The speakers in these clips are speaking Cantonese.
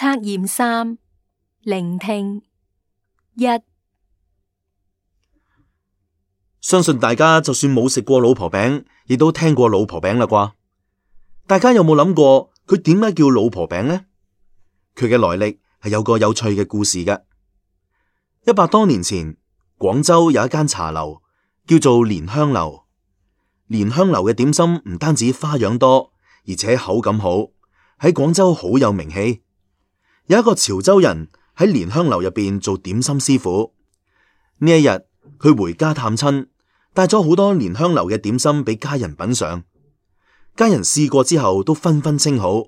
測驗3，聆聽1。相信大家就算冇食過老婆餅，亦都聽過老婆餅啦啩？大家有冇諗過佢點解叫老婆餅呢？佢嘅來歷係有個有趣嘅故事嘅。100多年前，廣州有一間茶樓叫做蓮香樓。蓮香樓嘅點心唔單止花樣多，而且口感好，喺廣州好有名氣。有一個潮州人喺蓮香樓入邊做點心師傅。呢一日佢回家探親，帶咗好多蓮香樓嘅點心俾家人品嘗。家人試過之後都紛紛稱好，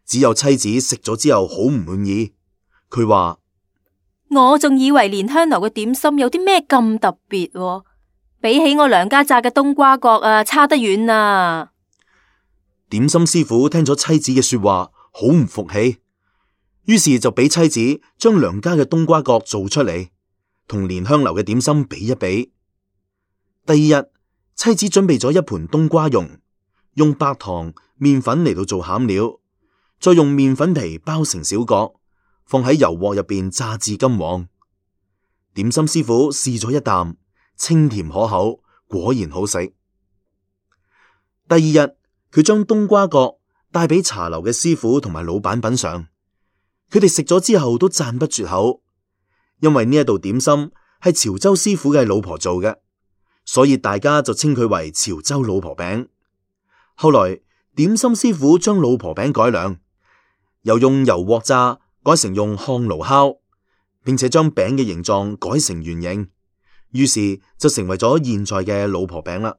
只有妻子食咗之後好唔滿意。佢話：我仲以為蓮香樓嘅點心有啲咩咁特別喎，比起我娘家炸嘅冬瓜角差得遠啊！點心師傅聽咗妻子嘅說話，好唔服氣，於是就俾妻子將娘家嘅冬瓜角做出嚟，同蓮香樓嘅點心比一比。第二日，妻子準備咗一盤冬瓜蓉，用白糖、麵粉嚟到做餡料，再用麵粉皮包成小角，放喺油鑊入邊炸至金黃。點心師傅試咗一啖，清甜可口，果然好食。第二日，佢將冬瓜角帶俾茶樓嘅師傅同埋老闆品嘗，佢哋食咗之後都讚不絕口，因為呢一道點心係潮州師傅嘅老婆做嘅，所以大家就稱佢為潮州老婆餅。後來點心師傅將老婆餅改良，由用油鑊炸改成用烘爐烤，並且將餅嘅形狀改成圓形，於是就成為咗現在嘅老婆餅啦。